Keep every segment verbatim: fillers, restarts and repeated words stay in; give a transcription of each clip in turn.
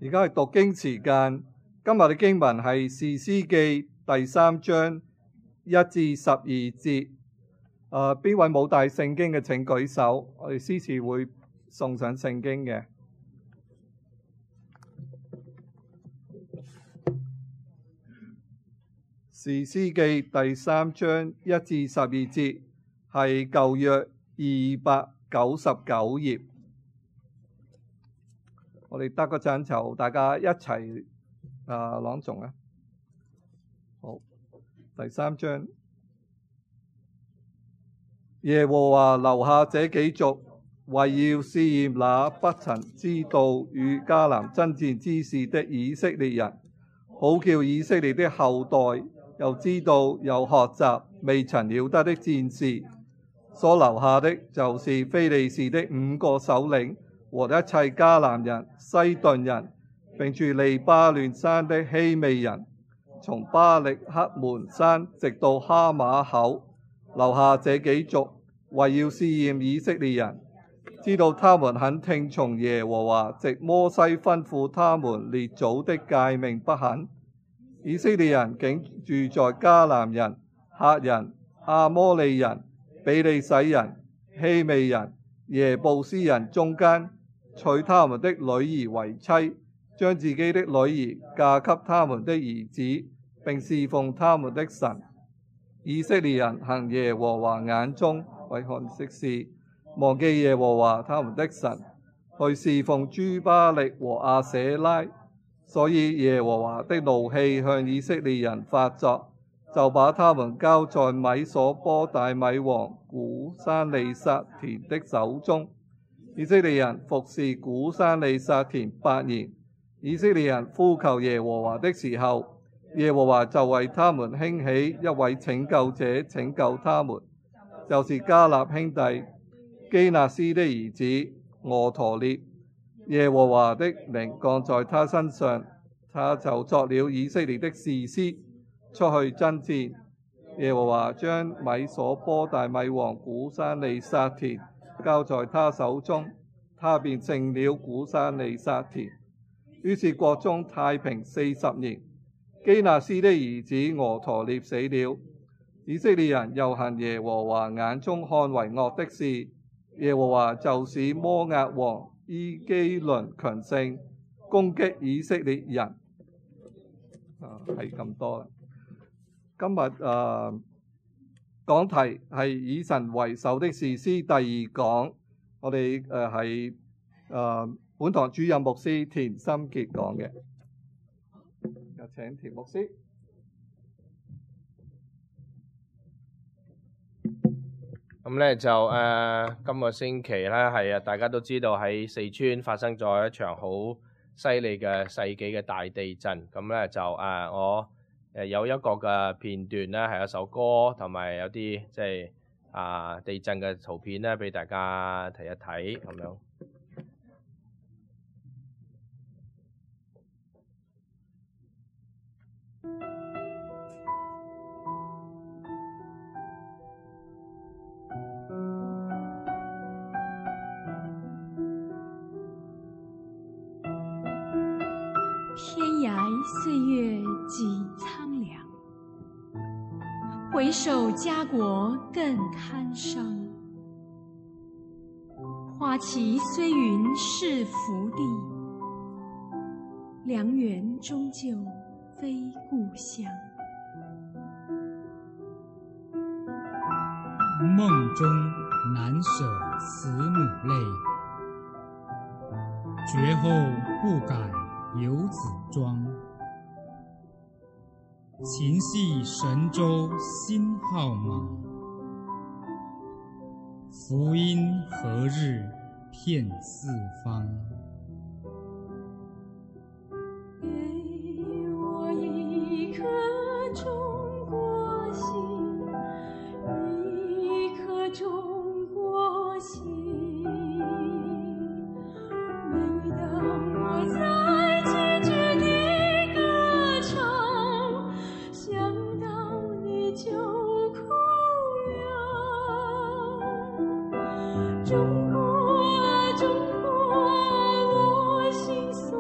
而家係讀經時間，今日嘅經文係《士師記》第三章一至十二節。誒、呃，邊位冇帶聖經嘅請舉手，我哋司事會送上聖經嘅。《士師記》第三章一至十二節係舊約二百九十九頁。我哋得個陣就大家一齊啊朗誦啊！好，第三章，耶和華留下這幾族，為要試驗那不曾知道與迦南爭戰之事的以色列人，好叫以色列的後代又知道又學習未曾曉得的戰事。所留下的就是非利士的五個首領和一切迦南人、西頓人，並住利巴嫩山的希未人，從巴力克門山直到哈馬口，留下這幾族，為要試驗以色列人，知道他們肯聽從耶和華藉摩西吩咐他們列祖的誡命不肯。以色列人竟住在迦南人、赫人、亞摩利人、比利洗人、希未人、耶布斯人中間，娶他們的女兒為妻，將自己的女兒嫁給他們的兒子，並侍奉他們的神。以色列人行耶和華眼中為看的事，忘記耶和華他們的神，去侍奉諸巴力和亞舍拉。所以耶和華的怒氣向以色列人發作，就把他們交在米所波大米王古珊利撒田的手中。以色列人服侍古珊利撒田八年。以色列人呼求耶和華的時候，耶和華就為他們興起一位拯救者，拯救他們，就是迦納兄弟基納斯的兒子俄陀聶。耶和華的靈降在他身上，他就作了以色列的士師，出去爭戰。耶和華將米所波大米王古珊利撒田交在他手中，他便勝了古珊利撒田。於是國中太平四十年。基納斯的兒子俄陀聶死了。以色列人又行耶和華眼中看為惡的事，耶和華就使摩押王伊基倫強盛，攻擊以色列人。啊，係咁多啦。今日啊，講題係以神為首的士師第二講，我哋誒係誒本堂主任牧師田心傑講嘅。有請田牧師。咁咧就誒、呃，今個星期咧係啊，大家都知道喺四川發生咗一場好犀利嘅世紀嘅大地震。咁咧就誒、呃，我誒有一個嘅片段咧，係一首歌，同埋有啲即係啊地震嘅圖片咧，俾大家睇一睇咁樣。天涯歲月幾蒼涼，回首家國更堪傷。花旗雖雲是福地，良緣終究非故鄉。夢中難捨慈母淚，絕後不改遊子莊。情繫神州新號碼，福音何日遍四方。給我一顆中國心，一顆中國心。每當我在崎嶇地歌唱，想到你就哭了。中國，中國，我心酸。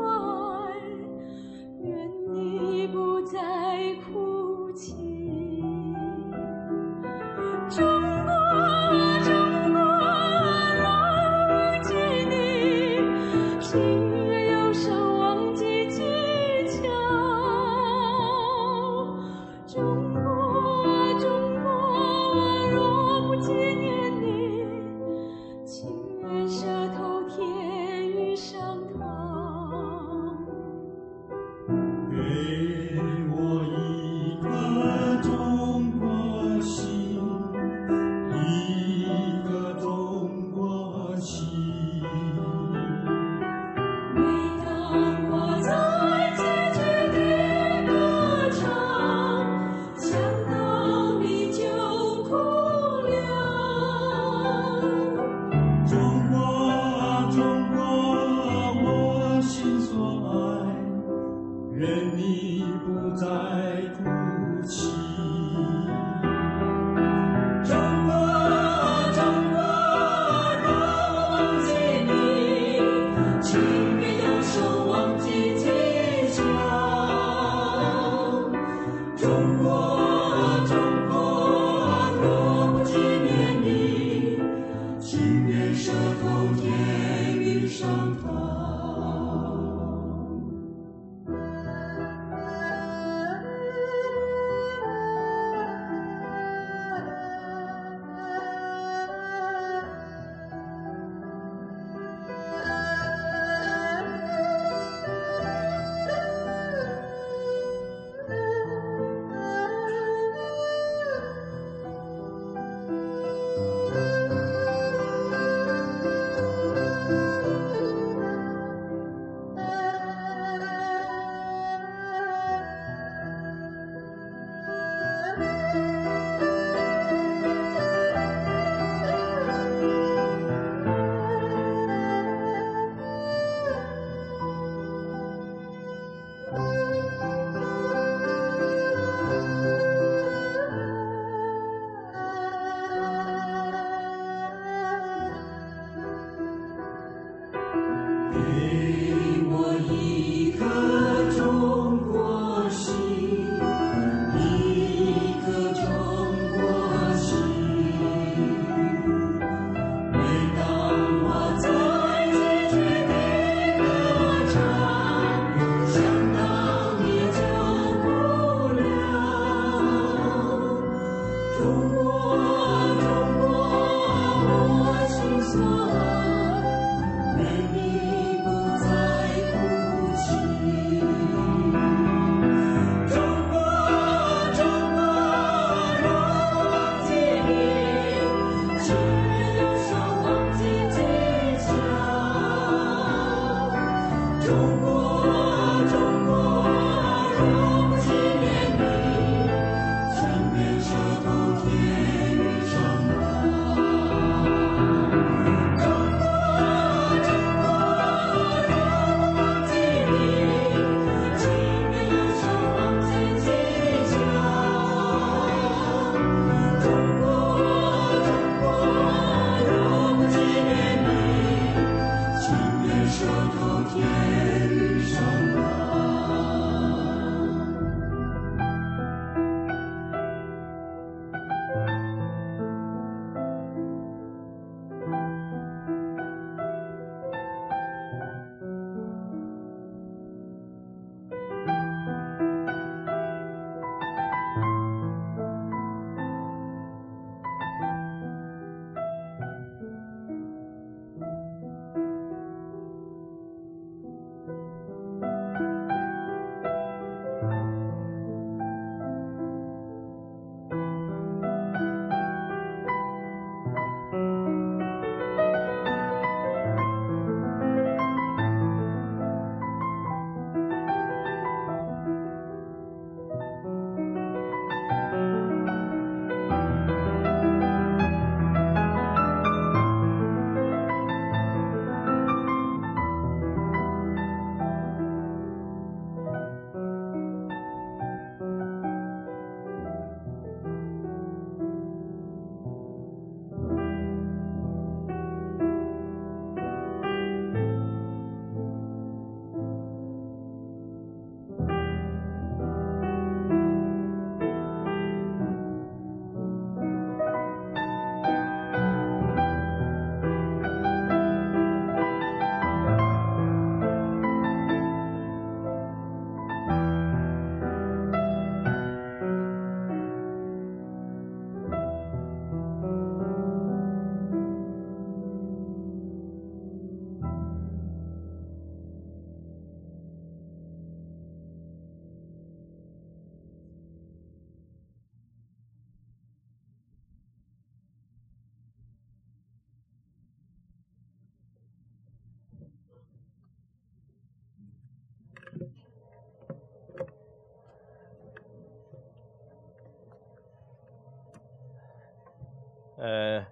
誒、呃、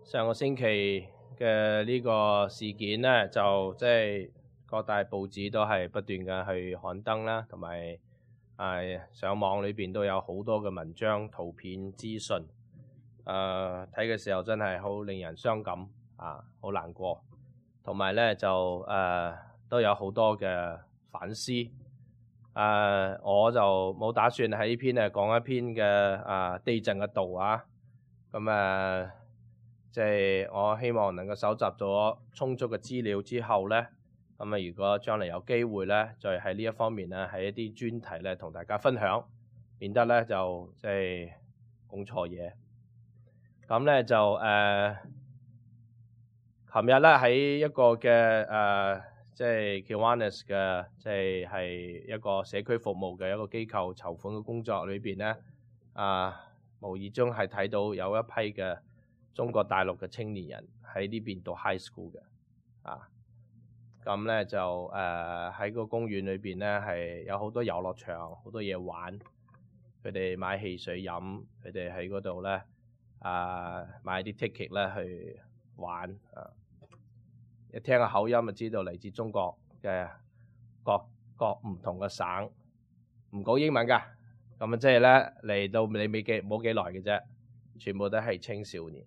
上個星期嘅呢個事件咧，就即係各大報紙都係不斷嘅去刊登啦，同埋誒上網裏邊都有好多嘅文章、圖片、資訊。誒睇嘅時候真係好令人傷感啊，好難過。同埋咧就誒、呃、都有好多嘅反思。誒、呃、我就冇打算喺呢篇誒講一篇嘅啊地震嘅道啊。咁誒，即係我希望能夠搜集咗充足嘅資料之後咧，咁啊，如果將來有機會咧，再喺呢一方面咧，喺一啲專題咧，同大家分享，免得咧就即係講錯嘢。咁咧就誒，琴日咧喺一個嘅誒，即係 Kiwanis 嘅，即係係一個社區服務嘅一個機構籌款嘅工作裏邊咧，啊。無意中係睇到有一批嘅中國大陸嘅青年人喺呢邊讀 high school 嘅，啊，咁咧就誒喺、呃、個公園裏邊咧係有好多遊樂場，好多嘢玩，佢哋買汽水飲，佢哋喺嗰度咧啊買啲 ticket 咧去玩，啊，一聽個口音就知道嚟自中國嘅各各唔同嘅省，唔講英文㗎。咁啊，即係咧嚟到你未幾冇幾耐嘅啫，全部都係青少年，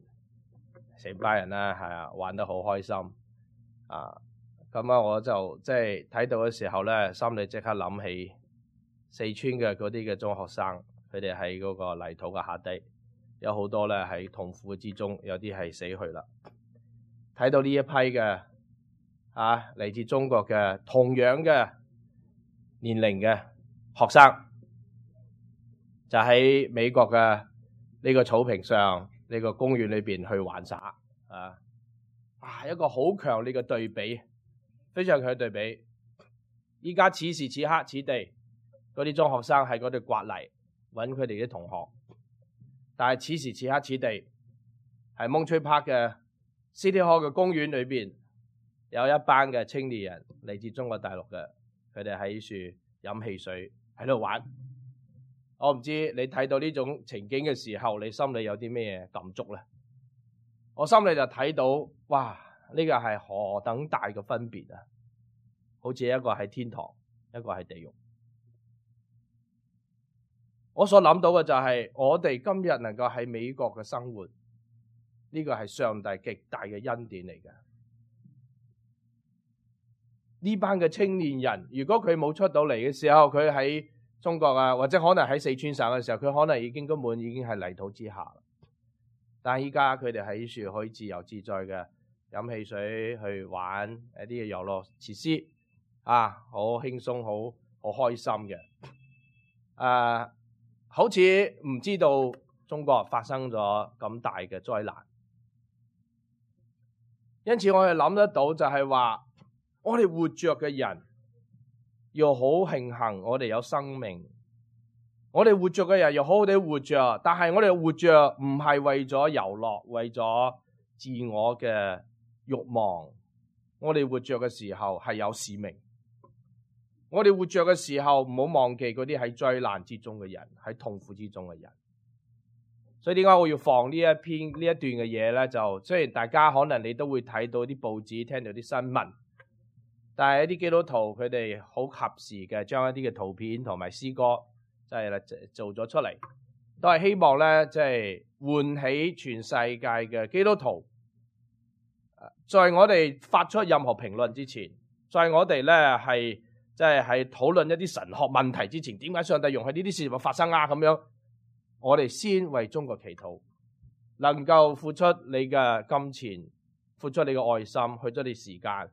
成班人啦，係啊，玩得好開心啊！咁啊，我就即係睇到嘅時候咧，心裏即刻諗起四川嘅嗰啲嘅中學生，佢哋喺嗰個泥土嘅下底，有好多咧喺痛苦之中，有啲係死去啦。睇到呢一批嘅啊嚟自中國嘅同樣嘅年齡嘅學生。就喺美國嘅呢個草坪上，呢個公園裏邊去玩耍啊！啊，一個好強烈嘅對比，非常強嘅對比。依家此時此刻此地，嗰啲中學生喺嗰度刮泥，揾佢哋啲同學。但係此時此刻此地，喺 Monterey Park 嘅 City Hall 嘅公園裏邊，有一班嘅青年人嚟自中國大陸嘅，佢哋喺樹飲汽水喺度玩。我唔知你睇到呢種情景嘅時候，你心裏有啲咩感觸咧？我心裏就睇到，哇！呢個係何等大嘅分別啊！好似一個喺天堂，一個喺地獄。我所諗到嘅就係，我哋今日能夠喺美國嘅生活，呢個係上帝極大嘅恩典嚟嘅。呢班嘅青年人，如果佢冇出到嚟嘅時候，佢喺中國啊，或者可能喺四川省嘅時候，佢可能已經根本已經係泥土之下。但係依家佢哋喺樹可以自由自在嘅飲汽水，去玩一啲嘅遊樂設施啊，好輕鬆，好好開心嘅。誒、啊，好似唔知道中國發生咗咁大嘅災難，因此我哋諗得到就係話，我哋活着嘅人要好慶幸我哋有生命。我哋活着嘅人要好好地活着，但係我哋活着唔係為咗遊樂，為咗自我嘅慾望。我哋活着嘅時候係有使命。我哋活着嘅時候唔好忘記嗰啲喺災難之中嘅人，喺痛苦之中嘅人。所以點解我要放呢一篇呢一段嘅嘢咧？就雖然大家可能你都會睇到啲報紙，聽到啲新聞，但係一啲基督徒佢哋好及時嘅將一啲嘅圖片同埋詩歌，即係做咗出嚟，都係希望咧，即係喚起全世界嘅基督徒，在我哋發出任何評論之前，在我哋咧係即係係討論一啲神學問題之前，點解上帝容許呢啲事情發生啊？咁樣，我哋先為中國祈禱，能夠付出你嘅金錢，付出你嘅愛心，去咗你時間，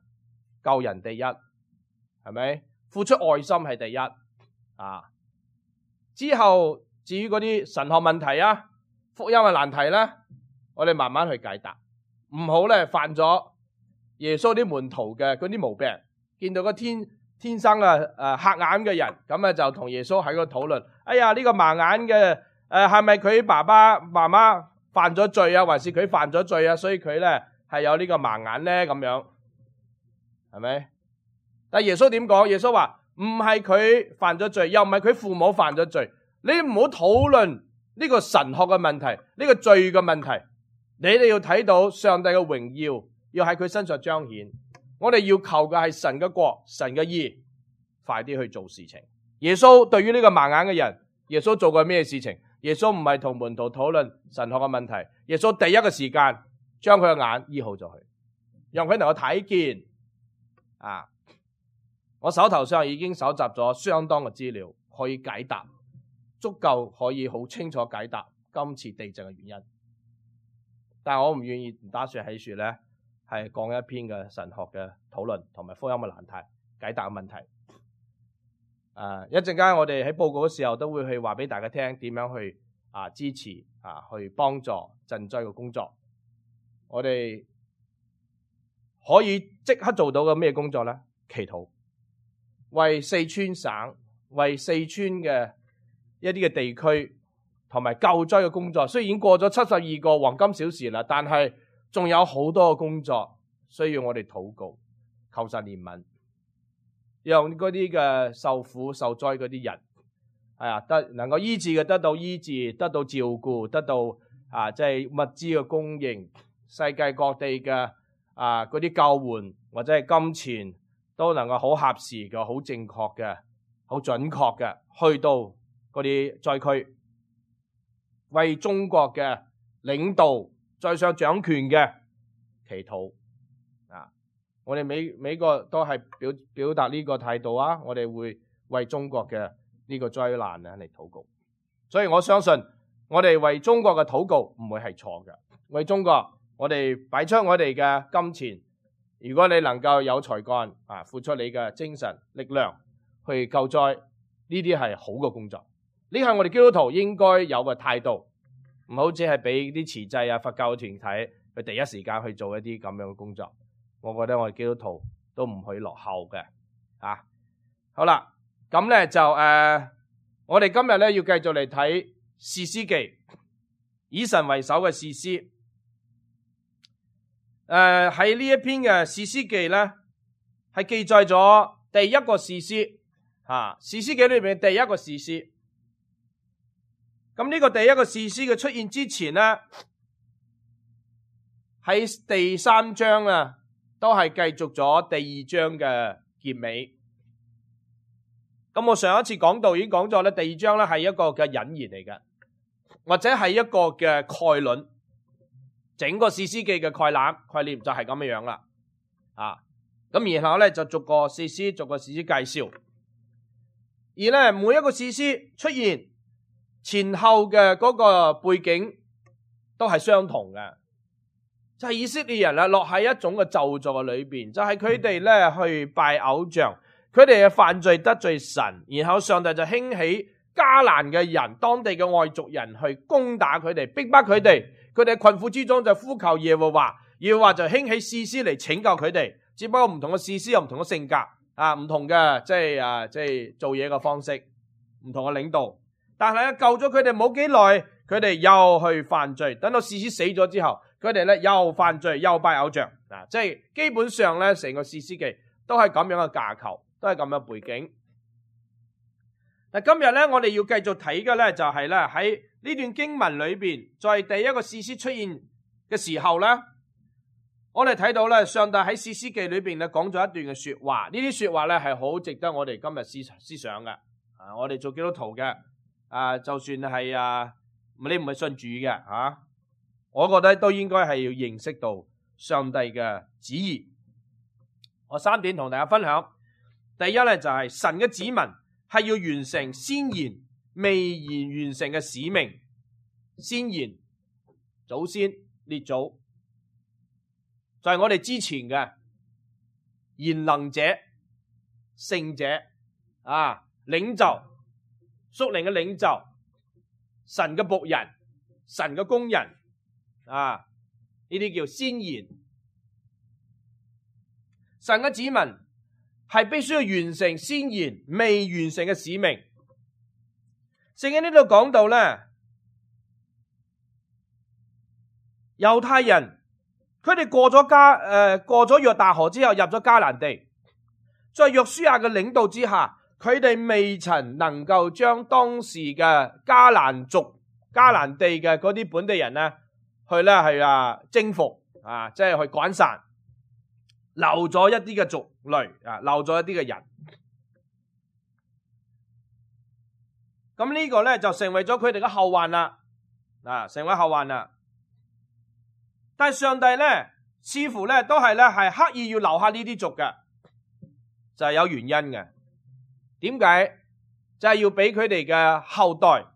救人第一，係咪？付出愛心係第一啊！之後至於嗰啲神學問題啊、福音嘅難題咧，我哋慢慢去解答，唔好咧犯咗耶穌啲門徒嘅嗰啲毛病。見到個天天生嘅誒瞎眼嘅人，咁啊就同耶穌喺度討論。哎呀，呢個盲眼嘅誒係咪佢爸爸媽媽犯咗罪啊，還是佢犯咗罪啊？所以佢咧係有呢個盲眼咧咁樣，係咪？但耶穌點講？耶穌話唔係佢犯咗罪，又唔係佢父母犯咗罪。你唔好討論呢個神學嘅問題，呢個罪嘅問題。你哋要睇到上帝嘅榮耀，要喺佢身上彰顯。我哋要求嘅係神嘅國、神嘅義，快啲去做事情。耶穌對於呢個盲眼嘅人，耶穌做過咩事情？耶穌唔係同門徒討論神學嘅問題，耶穌第一個時間將佢嘅眼醫好咗佢，讓佢能夠睇見。啊！我手頭上已經搜集咗相當嘅資料，可以解答，足夠可以好清楚解答今次地震嘅原因。但係我唔願意，唔打算喺樹咧係講一篇嘅神學嘅討論同埋福音嘅難題解答嘅問題。誒、啊，一陣間我哋喺報告嘅時候都會去話俾大家聽點樣去啊支持啊去幫助賑災嘅工作。我哋可以即刻做到嘅咩工作咧？祈禱。為四川省、為四川嘅一啲嘅地區同埋救災嘅工作，雖然已經過咗七十二個黃金小時啦，但係仲有好多嘅工作需要我哋禱告，求神憐憫，讓嗰啲嘅受苦受災嗰啲人，係啊得能夠醫治嘅得到醫治，得到照顧，得到啊即係物資嘅供應，世界各地嘅啊嗰啲救援或者係金錢，都能夠好合時嘅、好正確嘅、好準確嘅，去到嗰啲災區，為中國嘅領導在上掌權嘅祈禱啊！我哋美美國都係表表達呢個態度啊！我哋會為中國嘅呢個災難啊嚟禱告，所以我相信我哋為中國嘅禱告唔會係錯嘅。為中國，我哋擺出我哋嘅金錢。如果你能夠有才幹啊，付出你嘅精神力量去救災，呢啲係好嘅工作。呢係我哋基督徒應該有嘅態度，唔好只係俾啲慈濟啊、佛教團體去第一時間去做一啲咁樣嘅工作。我覺得我哋基督徒都唔可以落後嘅啊。好啦，咁咧就誒、呃，我哋今日咧要繼續嚟睇士師記，以神為首嘅士師。誒喺呢一篇嘅士師記咧，係記載咗第一個士師啊，士師記裏邊第一個士師。咁呢個第一個士師嘅出現之前咧，喺第三章啊，都係繼續咗第二章嘅結尾。咁我上一次講到已經講咗咧，第二章咧係一個嘅引言嚟嘅，或者係一個嘅概論。整個士師記嘅概覽概念就係咁樣樣啦，啊，咁然後咧就逐個士師逐個士師介紹，而咧每一個士師出現前後嘅嗰個背景都係相同嘅，就係以色列人啊落喺一種嘅咒詛嘅裏邊，就係佢哋咧去拜偶像，佢哋嘅犯罪得罪神，然後上帝就興起迦南嘅人，當地嘅外族人去攻打佢哋，逼迫佢哋。佢哋喺困苦之中就呼求耶和華，耶和華就興起士師嚟拯救佢哋。只不過唔同嘅士師有唔同嘅性格啊，唔同嘅即係啊，即係做嘢嘅方式，唔同嘅領導。但係咧救咗佢哋冇幾耐，佢哋又去犯罪。等到士師死咗之後，佢哋咧又犯罪，又拜偶像啊！即係基本上咧，成個士師記都係咁樣嘅架構，都係咁樣背景。嗱，今日咧我哋要繼續睇嘅咧就係咧喺呢段經文裏邊，在第一個士師出現嘅時候咧，我哋睇到咧上帝喺士師記裏邊咧講咗一段嘅說話，呢啲說話咧係好值得我哋今日思思想嘅。啊，我哋做基督徒嘅，啊，就算係啊，你唔係信主嘅啊，我覺得都應該係要認識到上帝嘅旨意。我三點同大家分享，第一咧就係神嘅子民係要完成先賢未然完成嘅使命。先賢祖先列祖就係我哋之前嘅賢能者聖者啊，領袖屬靈嘅領袖，神嘅僕人，神嘅工人啊，呢啲叫先賢。神嘅子民係必須要完成先賢未完成嘅使命。聖經呢度講到咧，猶太人佢哋過咗加誒、呃、過咗約旦河之後入咗迦南地，在約書亞嘅領導之下，佢哋未曾能夠將當時嘅迦南族、迦南地嘅嗰啲本地人咧，去咧係啊征服啊，即係去趕散，留咗一啲嘅族類啊，留咗一啲嘅人。咁呢個咧就成為咗佢哋嘅後患啦，啊，成為後患啦。但係上帝咧，似乎咧都係咧係刻意要留下呢啲族嘅，就係有原因嘅。點解？就係要俾佢哋嘅後代，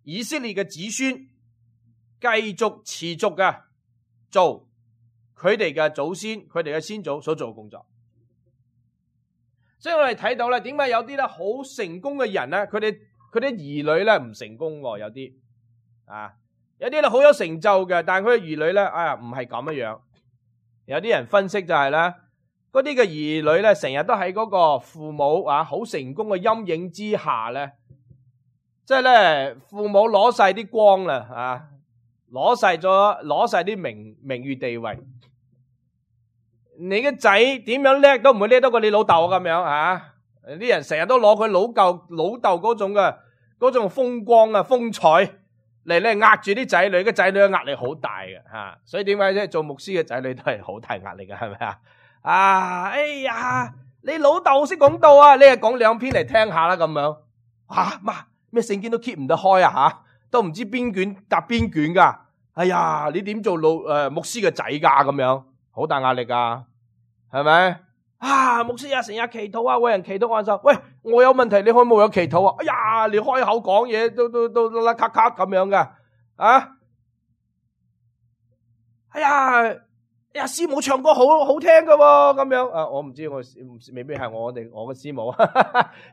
以色列嘅子孫，繼續持續嘅做佢哋嘅祖先、佢哋嘅先祖所做嘅工作。所以我哋睇到咧，點解有啲咧好成功嘅人咧，佢哋佢啲兒女咧唔成功喎？有啲啊。有啲咧好有成就嘅，但係佢嘅兒女咧，哎呀唔係咁樣樣。有啲人分析就係咧，嗰啲嘅兒女咧，成日都喺嗰個父母啊好成功嘅陰影之下咧，即係咧父母攞晒啲光啦，啊，攞晒咗攞晒啲名名譽地位。你嘅仔點樣叻都唔會叻得過你老豆咁樣啊！啲人成日都攞佢老舊老豆嗰種嘅嗰種風光啊風采。嚟咧壓住啲仔女，嘅仔女嘅壓力好大嘅吓，所以點解啫？做牧師嘅仔女都係好大壓力嘅，係咪啊？啊，哎呀，你老豆識講道啊，你係講兩篇嚟聽下啦，咁樣吓，媽咩聖經都 keep 唔得開啊吓，都唔知邊卷搭邊卷噶，哎呀，你點做老誒、呃、牧師嘅仔噶咁樣，好大壓力噶，係咪？啊，牧師啊，成日祈禱啊，為人祈禱話就，喂，我有問題，你可唔可以有祈禱啊？哎呀，你開口講嘢都都都啦咔咔咁樣噶，啊，哎呀，哎呀，師母唱歌好好聽噶喎，咁樣啊，我唔知我未必係我哋我嘅師母，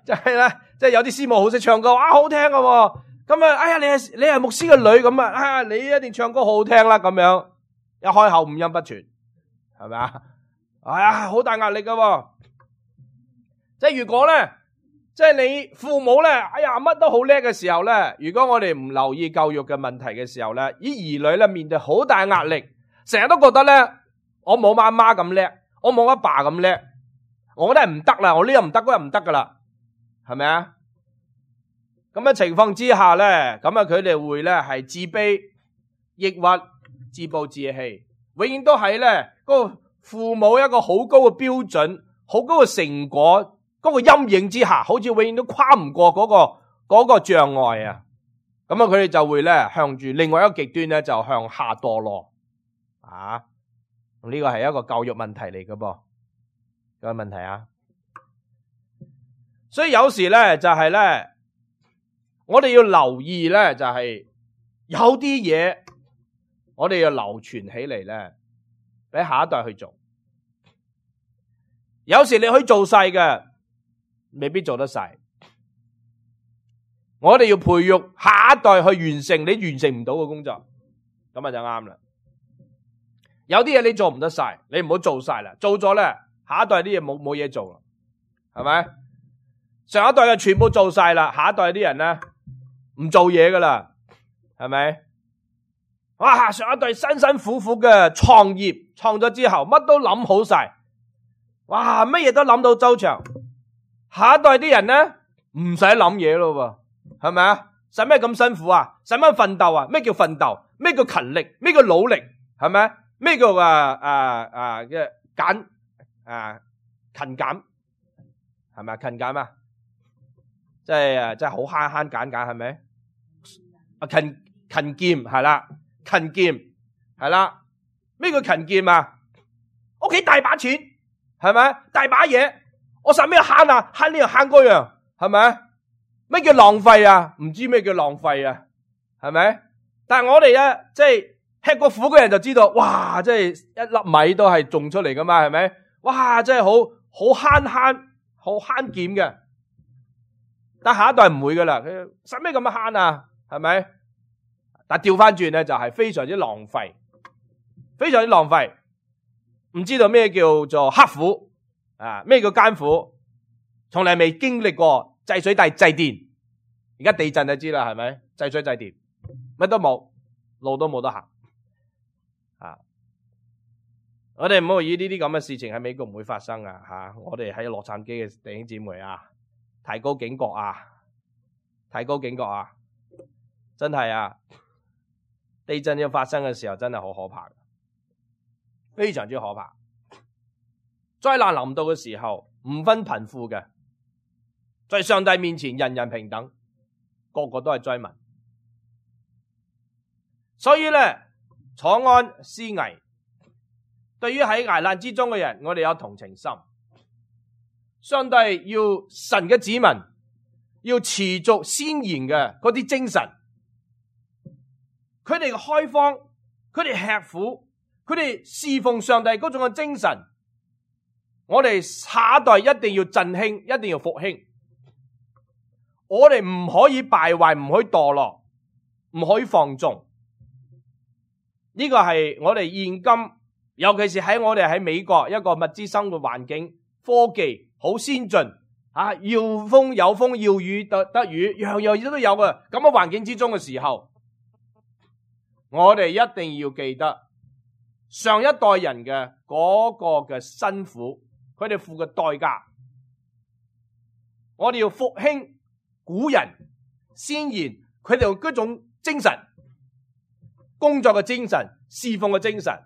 就係咧，即係有啲師母好識唱歌，啊，好聽噶喎，咁啊，哎呀，你係你係牧師嘅女咁啊，啊，你一定唱歌好好聽啦，咁樣一開口五音不全，係咪啊？哎呀，好大壓力噶喎！即係如果咧，即係你父母咧，哎呀乜都好叻嘅時候咧，如果我哋唔留意教育嘅問題嘅時候咧，啲兒女咧面對好大壓力，成日都覺得咧，我冇媽媽咁叻，我冇阿爸咁叻，我都係唔得啦，我呢又唔得，嗰又唔得噶啦，係咪啊？咁嘅情況之下咧，咁啊佢哋會咧係自卑、抑鬱、自暴自棄，永遠都係咧嗰個父母一個好高嘅標準、好高嘅成果嗰個陰影之下，好似永遠都跨唔過嗰個嗰個障礙啊！咁啊，佢哋就會咧向住另外一個極端咧，就向下墮落啊！呢個係一個教育問題嚟嘅噃，有個問題啊！所以有時咧就係咧，我哋要留意咧，就係有啲嘢我哋要流傳起嚟咧，俾下一代去做。有時你可以做晒嘅，未必做得晒。我哋要培育下一代去完成你完成唔到嘅工作，咁啊就啱啦。有啲嘢你做唔得晒，你唔好做晒啦，做咗咧，下一代啲嘢冇冇嘢做啦，係咪？上一代嘅全部做晒啦，下一代啲人咧唔做嘢噶啦，係咪？哇！上一代辛辛苦苦嘅創業，創咗之後乜都諗好晒，哇！乜嘢都諗到周詳，下一代啲人咧唔使諗嘢咯喎。係咪啊？使咩咁辛苦啊？使咩奮鬥啊？咩叫奮鬥？咩叫勤力？咩叫努力？係咪？咩叫啊啊啊嘅減啊勤儉？係咪勤儉啊？即係啊，即係好慳慳揀揀，係咪？啊勤勤儉係啦，勤儉係啦。咩叫勤儉啊？屋企大把錢，係咪？大把嘢，我使咩慳啊？慳呢樣慳嗰樣，係咪？咩叫浪費啊？唔知咩叫浪費啊？係咪？但係我哋咧，即係吃過苦嘅人就知道，哇！即係一粒米都係種出嚟噶嘛，係咪？哇！真係好好慳慳，好慳儉嘅。但下一代唔會噶啦，佢使咩咁樣慳啊？係咪？但調翻轉咧，就係非常之浪費，非常之浪費。唔知道咩叫做刻苦啊？咩叫艱苦？從來未經歷過。制水大制電，而家地震就知啦，係咪？制水制電，乜都冇，路都冇得行啊！我哋唔好以呢啲咁嘅事情喺美國唔會發生啊！吓，我哋喺洛杉磯嘅弟兄姊妹啊，提高警覺啊，提高警覺啊！真係啊，地震要發生嘅時候，真係好可怕，非常之可怕。災難臨到嘅時候，唔分貧富嘅。在上帝面前，人人平等，個個都係災民。所以咧，坐安思危，對於喺危難之中嘅人，我哋有同情心。上帝要神嘅子民要持續先賢嘅嗰啲精神，佢哋嘅開荒，佢哋吃苦，佢哋侍奉上帝嗰種嘅精神，我哋下一代一定要振興，一定要復興。我哋唔可以敗壞，唔可以墮落，唔可以放縱。呢個係我哋現今，尤其是喺我哋喺美國一個物資生活環境，科技好先進啊，要風有風，要雨得得雨，樣樣嘢都有嘅咁嘅環境之中嘅時候，我哋一定要記得上一代人嘅嗰個嘅辛苦，佢哋付嘅代價，我哋要復興古人先賢，佢哋用嗰種精神，工作嘅精神，侍奉嘅精神。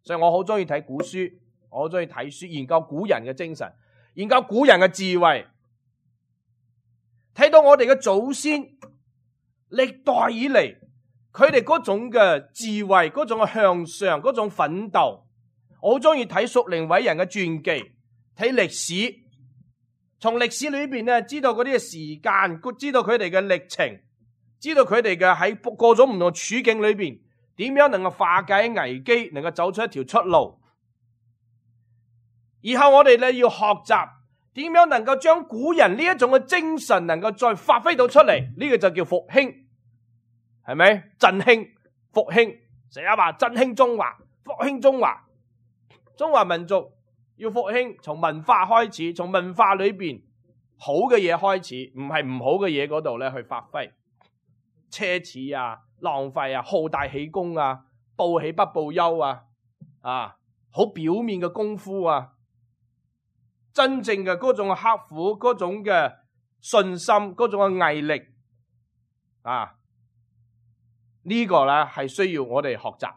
所以我好中意睇古書，我好中意睇書，研究古人嘅精神，研究古人嘅智慧，睇到我哋嘅祖先歷代以嚟佢哋嗰種嘅智慧，嗰種嘅向上，嗰種奮鬥。我好中意睇屬靈偉人嘅傳記，睇歷史。從歷史裏邊咧，知道嗰啲嘅時間，知道佢哋嘅歷程，知道佢哋嘅喺各種唔同處境裏邊，點樣能夠化解危機，能夠走出一條出路。以後我哋咧要學習點樣能夠將古人呢一種嘅精神，能夠再發揮到出嚟，呢個就叫復興，係咪？振興、復興，成日話振興中華、復興中華，中華民族。要復興，從文化開始，從文化裏邊好嘅嘢開始，唔係唔好嘅嘢嗰度咧去發揮，奢侈啊、浪費啊、好大喜功啊，報喜不報憂啊，啊，好表面嘅功夫啊，真正嘅嗰種刻苦，嗰種嘅信心，嗰種嘅毅力啊，呢個咧係需要我哋學習，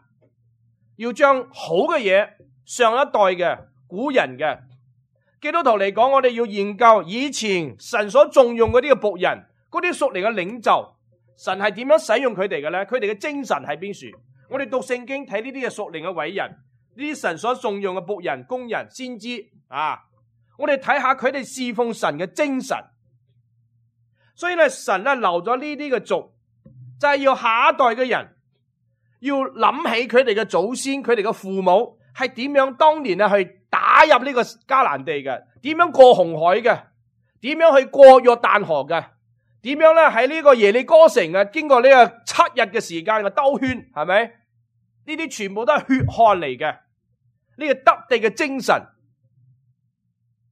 要將好嘅嘢，上一代嘅古人嘅基督徒嚟講，我哋要研究以前神所重用嗰啲嘅僕人，嗰啲屬靈嘅領袖，神係點樣使用佢哋嘅咧？佢哋嘅精神喺邊處？我哋讀聖經睇呢啲嘅屬靈嘅偉人，呢啲神所重用嘅僕人、工人、先知啊，我哋睇下佢哋侍奉神嘅精神。所以咧，神咧留咗呢啲嘅族，就係要下一代嘅人要諗起佢哋嘅祖先，佢哋嘅父母係點樣當年咧去打入呢個迦南地嘅，點樣過紅海嘅，點樣去過約旦河嘅，點樣咧喺呢個耶利哥城啊，經過呢個七日嘅時間嘅兜圈，係咪？呢啲全部都係血汗嚟嘅，呢個得地嘅精神，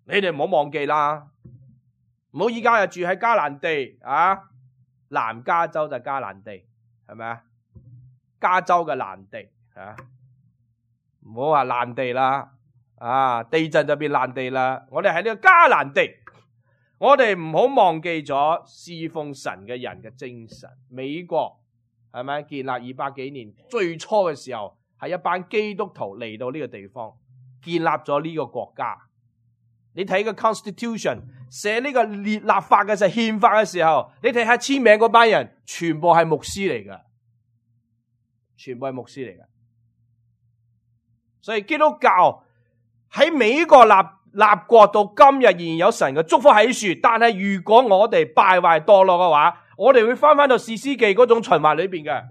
你哋唔好忘記啦。唔好依家又住喺迦南地啊，南加州就迦南地，係咪啊？加州嘅南地啊，唔好話爛地啦，啊，地震就變爛地啦。我哋喺呢個迦南地，我哋唔好忘記咗侍奉神嘅人嘅精神。美國係咪建立二百幾年，最初嘅時候係一班基督徒嚟到呢個地方，建立咗呢個國家。你睇個 Constitution 寫呢個列立法嘅時候，憲法嘅時候，你睇下簽名嗰班人，全部係牧師嚟㗎，全部係牧師嚟㗎。所以基督教喺美國立立國到今日仍然有神嘅祝福喺樹，但係如果我哋敗壞墮落嘅話，我哋會翻翻到士師記嗰種循環裏邊嘅，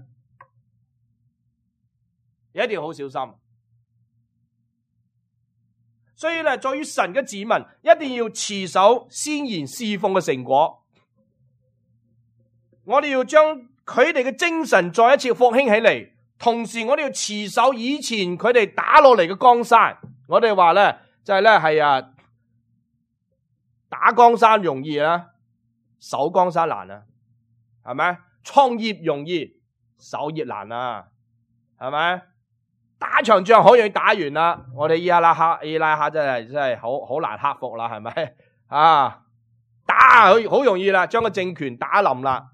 一定要好小心。所以咧，在於神嘅子民一定要持守先賢侍奉嘅成果，我哋要將佢哋嘅精神再一次復興起嚟，同時我哋要持守以前佢哋打落嚟嘅江山。我哋話咧就係咧係啊，打江山容易啦，守江山難啊，係咪？創業容易，守業難啊，係咪？打場仗好容易打完啦，我哋伊拉克伊拉克真係真係好好難克服啦，係咪啊？打好好容易啦，將個政權打冧啦。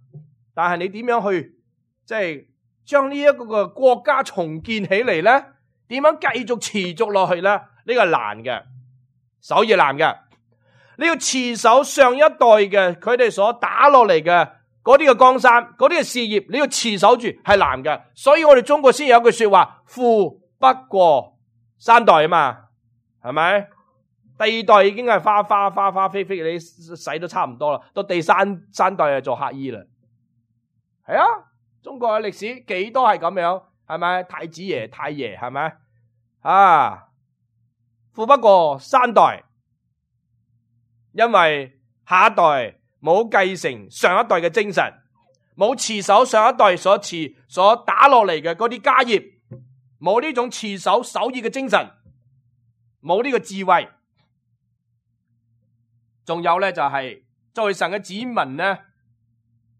但係你點樣去即係將呢一個個國家重建起嚟咧？點樣繼續持續落去咧？呢個係難嘅，守業難嘅。你要持守上一代嘅佢哋所打落嚟嘅嗰啲嘅江山，嗰啲嘅事業，你要持守住係難嘅。所以我哋中國先有句說話，富不過三代啊嘛，係咪？第二代已經係花花花花飛飛，你使都差唔多啦。到第三三代就做乞衣啦。係啊，中國嘅歷史幾多係咁樣，係咪？太子爺、太爺，係咪？啊，富不過三代，因為下一代冇繼承上一代嘅精神，冇持守上一代所持所打落嚟嘅嗰啲家業，冇呢種持守守義嘅精神，冇呢個智慧。仲有咧就係作為神嘅子民咧，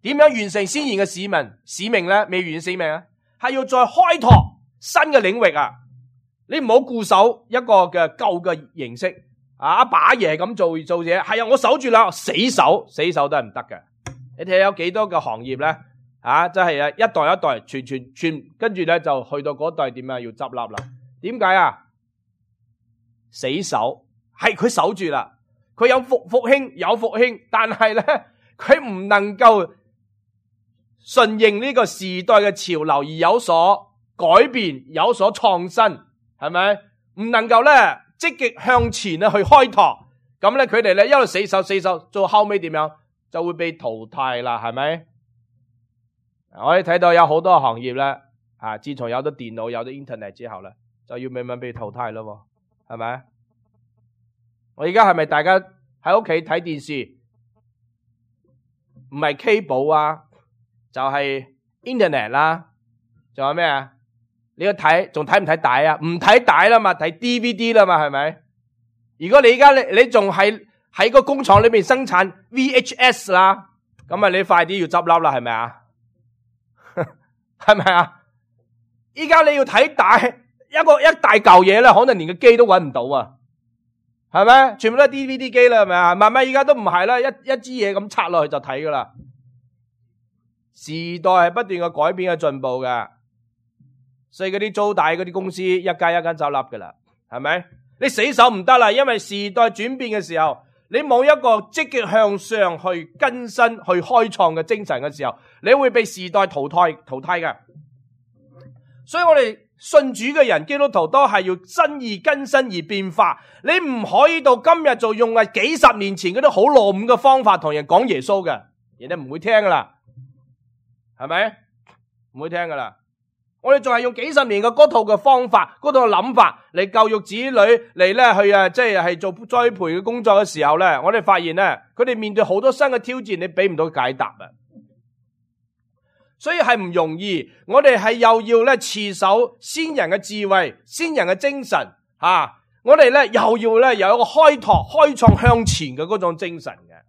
點樣完成先賢嘅使命使命咧？未完成使命啊，係要再開拓新嘅領域啊！你唔好固守一個嘅舊嘅形式啊！阿爸爺咁做做嘢，係啊，我守住啦，死守死守都係唔得嘅。你睇下有幾多個行業咧？啊，真係啊，一代一代傳傳傳，跟住咧就去到嗰代點啊，要執笠啦。點解啊？死守係佢守住啦，佢有復復興有復興，但係咧佢唔能夠順應呢個時代嘅潮流而有所改變，有所創新，係咪？唔能夠咧積極向前咧去開拓，咁咧佢哋咧一路死守死守，到後尾點樣就會被淘汰啦，係咪？我哋睇到有好多行業咧，啊，自從有咗電腦、有咗 internet 之後咧，就要慢慢被淘汰咯，係咪？我而家係咪大家喺屋企睇電視，唔係 cable 啊，就係 internet 啦，仲有咩啊？你要睇，仲睇唔睇帶啊？唔睇帶啦嘛，睇 D V D 啦嘛，係咪？如果你而家你你仲喺喺個工廠裏面生產 V H S 啦，咁啊你快啲要執笠啦，係咪啊？係咪啊？依家你要睇大一個一大嚿嘢咧，可能連個機都揾唔到啊，係咪？全部都係 D V D 機啦，係咪啊？慢慢依家都唔係啦，一一支嘢咁插落去就睇噶啦。時代係不斷嘅改變嘅進步嘅，所以嗰啲租大嗰啲公司一間一間走笠噶啦，係咪？你死守唔得啦，因為時代轉變嘅時候，你冇一個積極向上去更新、去開創嘅精神嘅時候，你會被時代淘汰淘汰嘅。所以我哋信主嘅人，基督徒都係要新而更新而變化。你唔可以到今日就用係幾十年前嗰啲好落伍嘅方法同人講耶穌嘅，人哋唔會聽噶啦，係咪？唔會聽噶啦。我哋仲係用幾十年嘅嗰套嘅方法、嗰套嘅諗法嚟教育子女嚟咧去啊，即係係做栽培嘅工作嘅時候咧，我哋發現咧，佢哋面對好多新嘅挑戰，你俾唔到解答啊！所以係唔容易，我哋係又要咧持守先人嘅智慧、先人嘅精神啊！我哋咧又要咧有一個開拓、開創向前嘅嗰種精神嘅。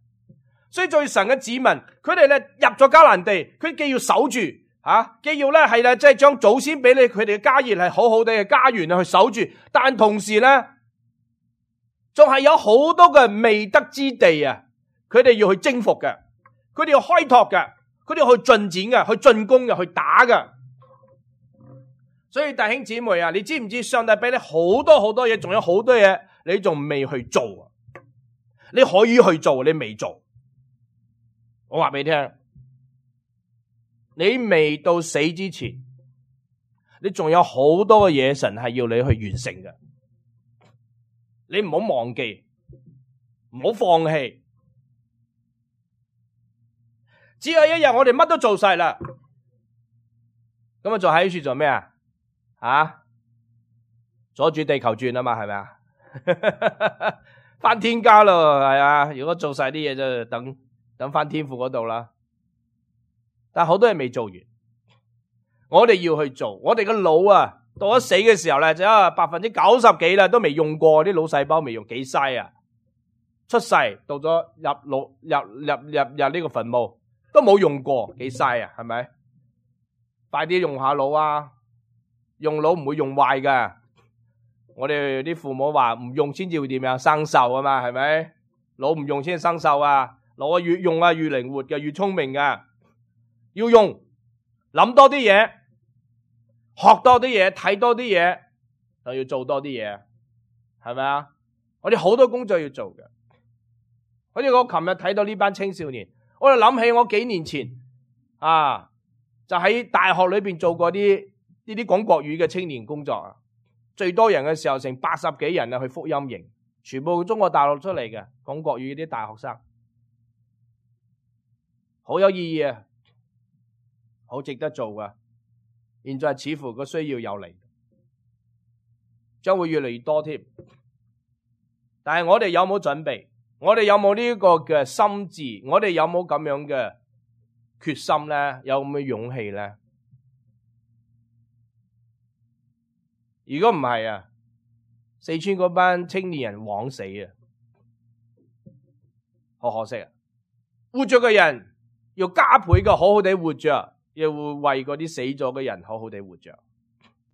所以做神嘅子民，佢哋咧入咗迦南地，佢既要守住。啊，既要咧係咧，即係將祖先俾你佢哋嘅家業係好好地嘅家園去守住，但同時咧，仲係有好多嘅未得之地啊！佢哋要去征服嘅，佢哋要開拓嘅，佢哋要去進展嘅，去進攻嘅，去打嘅。所以弟兄姊妹啊，你知唔知上帝俾你好多好多嘢，仲有好多嘢你仲未去做？你可以去做，你未做。我話俾你聽。你未到死之前，你仲有好多嘅嘢神係要你去完成嘅。你唔好忘記，唔好放棄。只有一日我哋乜都做晒啦，咁啊仲喺處做咩啊？啊，阻住地球轉啊嘛，係咪啊？翻天家咯，係啊！如果做晒啲嘢就等等翻天父嗰度啦。但好多嘢未做完，我哋要去做。我哋個腦啊，到咗死嘅時候咧，就有百分之九十幾啦，都未用過啲腦細胞，未用，幾嘥啊！出世到咗入腦入入入入呢個墳墓，都冇用過，幾嘥啊？係咪？快啲用下腦啊！用腦唔會用壞噶。我哋啲父母話唔用先至會點樣生鏽啊嘛，係咪？腦唔用先生鏽啊！腦啊越用啊越靈活嘅，越聰明嘅。要用，諗多啲嘢，學多啲嘢，睇多啲嘢，就要做多啲嘢，係咪啊？我哋好多工作要做嘅。好似我琴日睇到呢班青少年，我就諗起我幾年前啊，就喺大學裏邊做過啲呢啲講國語嘅青年工作啊。最多人嘅時候成八十幾人啊，去福音營，全部中國大陸出嚟嘅講國語啲大學生，好有意義啊！好值得做噶，現在似乎個需要有嚟，將會越嚟越多添。但係我哋有冇準備？我哋有冇呢個嘅心智？我哋有冇咁樣嘅決心咧？有咁嘅勇氣咧？如果唔係啊，四川嗰班青年人枉死啊，好可惜啊！活着嘅人要加倍嘅好好地活着。又會為嗰啲死咗嘅人好好地活着。